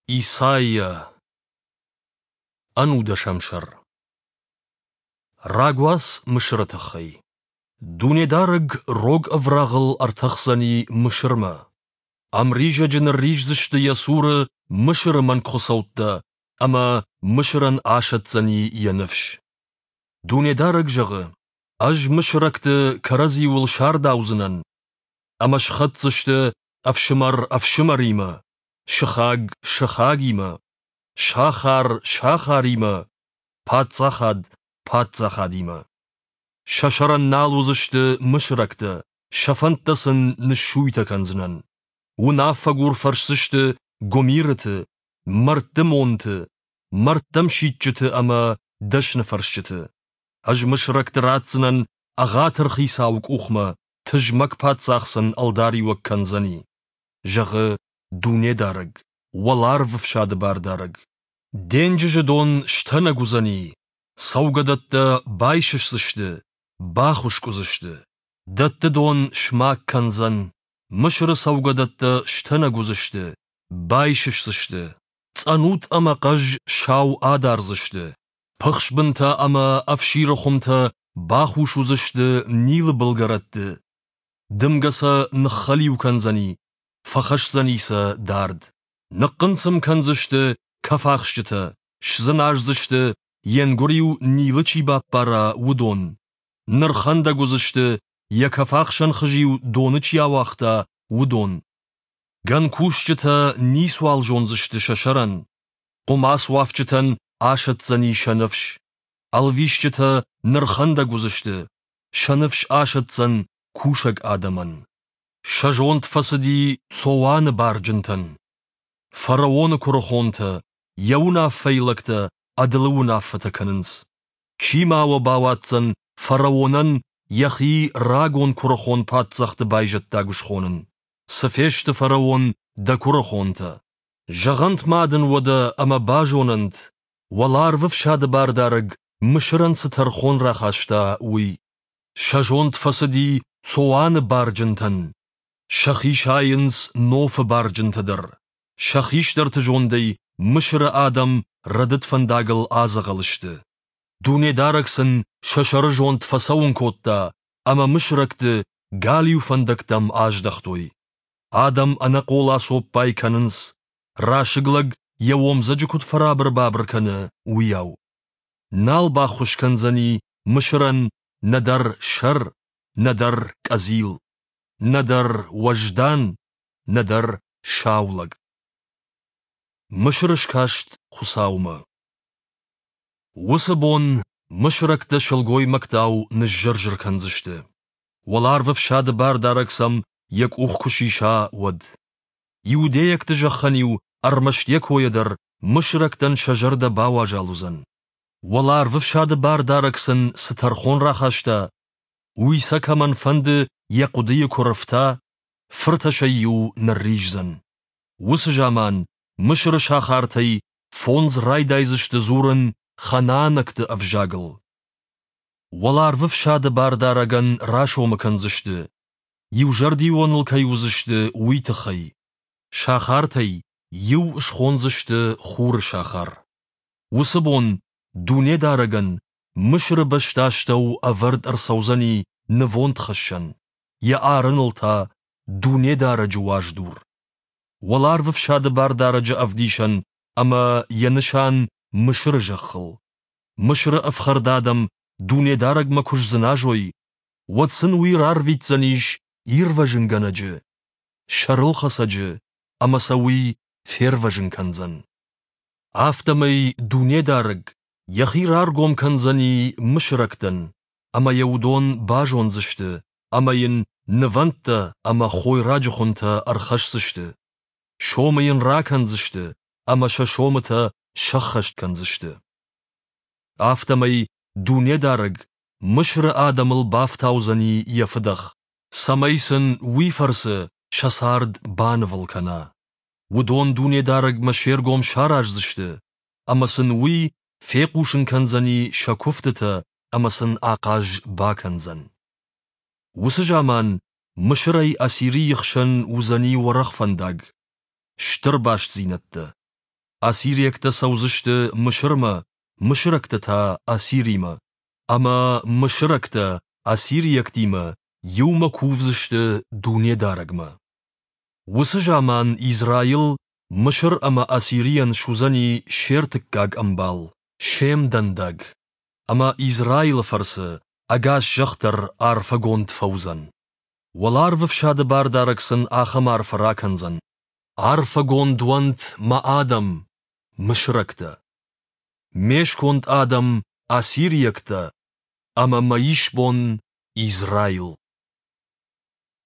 Исайя, ӕнудӕсӕм сӕр. Рагуац Мысыры тыххӕй. Дунедарӕг рог ӕврагъыл ӕртӕхдзӕни Мысырмӕ. Ӕмризӕджы нырриздзысты йӕ цуры Мысыры мӕнгхуыцӕуттӕ, ӕмӕ Мысырӕн асӕтдзӕни йӕ ныфс. Дунедарӕг зӕгъы: Ӕз мысырӕгты кӕрӕдзиуыл сардаудзынӕн, ӕмӕ схӕцдзысты ӕфсымӕр ӕфсымӕримӕ, сыхаг сыхагимӕ, сахар сахаримӕ, паддзахад паддзахадимӕ. Сӕ сӕрӕн нал уыдзысты мысырӕгтӕ, сӕ фӕндтӕ сын ныссуйтӕ кӕндзынӕн. Уынаффӕгур фӕрсдзысты гуымирыты, мӕрдты монты, мӕрдтӕм сидджыты ӕмӕ дӕсныфӕрсджыты. Ӕз мысырӕгты ратдзынӕн ӕгъатыр хицауы къухмӕ, тызмӕг паддзах сын ӕлдариуӕг кӕндзӕни, зӕгъы Дунедарӕг, уӕларвы фсады бардарӕг. Денджызы дон стӕнӕг уыдзӕни, цӕугӕдӕттӕ байсысдзысты, бахуыскъ уыдзысты. Дӕтты дон смаг кӕндзӕн, Мысыры цӕугӕдӕттӕ стӕнӕг уыдзысты, байсысдзысты. Цъӕнут ӕмӕ хъӕз сау адардзысты, пыхсбынтӕ ӕмӕ ӕфсиры хуымтӕ бахус уыдзысты Нилы былгӕрӕтты. Дымгӕ сӕ ныххӕлиу кӕндзӕни, фӕхӕсдзӕни сӕ дард. Ныхъхъынцъым кӕндзысты кӕфахсджытӕ, сдзыназдзысты, йе нгуыр-иу Нилы чи баппара, уыдон. Нырхӕндӕг уыдзысты, йӕ кӕфахсӕн хыз-иу доны чи ауагъта, уыдон. Гӕнкусджытӕ ницуал зондзысты сӕ сӕрӕн, хъуымацуафджытӕн асӕтдзӕни сӕ ныфс. Ӕлвисджытӕ нырхӕндӕг уыдзысты, сӕ ныфс асӕтдзӕн кусӕг адӕмӕн. Сӕ зонд фӕцыди Цоаны барджынтӕн. Фараоны куырыхонтӕ, йӕ уынаффӕйы лӕгтӕ ӕдылы уынаффӕтӕ кӕнынц. Чи ма уӕ бауадздзӕн фараонӕн йӕхи рагон куырыхон паддзӕхты байзӕддаг схонын? Цы фесты фараон дӕ куырыхонтӕ? Зӕгъӕнт ма дын уӕдӕ ӕмӕ базонӕнт, уӕларвы фсады бардарӕг Мысырӕн цы тӕрхон рахаста, уый. Сӕ зонд фӕцыди Цоаны барджынтӕн. Сӕхи сайынц Нофы барджынтӕ дӕр. Сӕ хистӕрты зондӕй Мысыры адӕм рӕдыд фӕндагыл адзӕгъӕл сты. Дунедарӕг сын сӕ сӕрызонд фӕцӕуын кодта, ӕмӕ мысырӕгты галиу фӕндӕгтӕм аздӕхтой. Адӕм ӕнӕхъола цоппай кӕнынц, расыг лӕг йӕ омдзӕджы куыд фӕрабыр-бабыр кӕны, уыйау. Нал баххуыс кӕндзӕни Мысырӕн нӕдӕр сӕр, нӕдӕр къӕдзил, нӕдӕр уӕздан, нӕдӕр сау лӕг. Мысыр скаст Хуыцаумӕ. Уыцы бон мысырӕгтӕ сылгоймӕгтау ныззыр-зыр кӕндзысты. Уӕларвы фсады бардарӕг сӕм йӕ къух куы сиса, уӕд. Иудейӕгты зӕххӕн-иу ӕрмӕст йӕ койӕ дӕр мысырӕгтӕн сӕ зӕрдӕ бауазал уыдзӕн. Уӕларвы фсады бардарӕг сын цы тӕрхон рахаста, уый сӕ кӕмӕн фӕнды йӕ хъуыдыйы куы рыфта, фыртӕсӕй-иу нырриздзӕн. Уыцы заман Мысыры сахартӕй фондз райдайдзысты дзурын ханаанӕгты ӕвзагыл. Уӕларвы фсады бардарӕгӕн расомы кӕндзысты, иузӕрдион ыл кӕй уыдзысты, уый тыххӕй. Сахартӕй иу схондзысты Хуры сахар. Уыцы бон Дунедарӕгӕн Мысыры бӕстастӕу ӕвӕрд ӕрцӕудзӕни нывондхӕссӕн, йӕ арыныл та Дунедарӕджы уаздур. Уӕларвы фсады бардарӕджы ӕвдисӕн ӕмӕ йӕ нысан Мысыры зӕххыл. Мысыры ӕфхӕрд адӕм Дунедарӕгмӕ куы сдзыназой, уӕд сын уый рарвитдзӕнис Ирвӕзынгӕнӕджы, Сӕрылхӕцӕджы, ӕмӕ сӕ уый фервӕзын кӕндзӕн. Афтӕмӕй Дунедарӕг йӕхи раргом кӕндзӕни мысырӕгтӕн, ӕмӕ йӕ уыдон базондзысты ӕмӕ йын нывӕндтӕ ӕмӕ хойраджы хуынтӕ ӕрхӕсдзысты. Сомы йын ракӕндзысты ӕмӕ сӕ сомытӕ сӕххӕст кӕндзысты. Афтӕмӕй Дунедарӕг Мысыры адӕмыл бафтаудзӕни йӕ фыдӕх, цӕмӕй сын уый фӕрцы сӕ цард банывыл кӕна. Уыдон Дунедарӕгмӕ се ргом сараздзысты, ӕмӕ сын уый фехъусын кӕндзӕни сӕ куывтытӕ ӕмӕ сын ахъаз бакӕндзӕн. Уыцы заман Мысырӕй Ассирийы хсӕн уыдзӕни уӕрӕх фӕндаг, стыр бастдзинӕдтӕ. Ассириӕгтӕ цӕудзысты Мысырмӕ, мысырӕгтӕ та Ассиримӕ. Ӕмӕ мысырӕгтӕ ассириӕгтимӕ иумӕ кувдзысты Дунедарӕгмӕ. Уыцы заман Израил Мысыр ӕмӕ Ассирийӕн суыдзӕни се ртыккаг ӕмбал, се мдӕндаг. Ӕмӕ Израилы фӕрцы ӕгас зӕхх дӕр арфӕгонд фӕуыдзӕн. Уӕларвӕфсады Бардарӕг сын ахӕм арфӕ ракӕндзӕн. Арфӕгонд уӕнт мӕ адӕм, мысырӕгтӕ, ме сконд адӕм, ассириӕгтӕ ӕмӕ мӕ исбон Израил.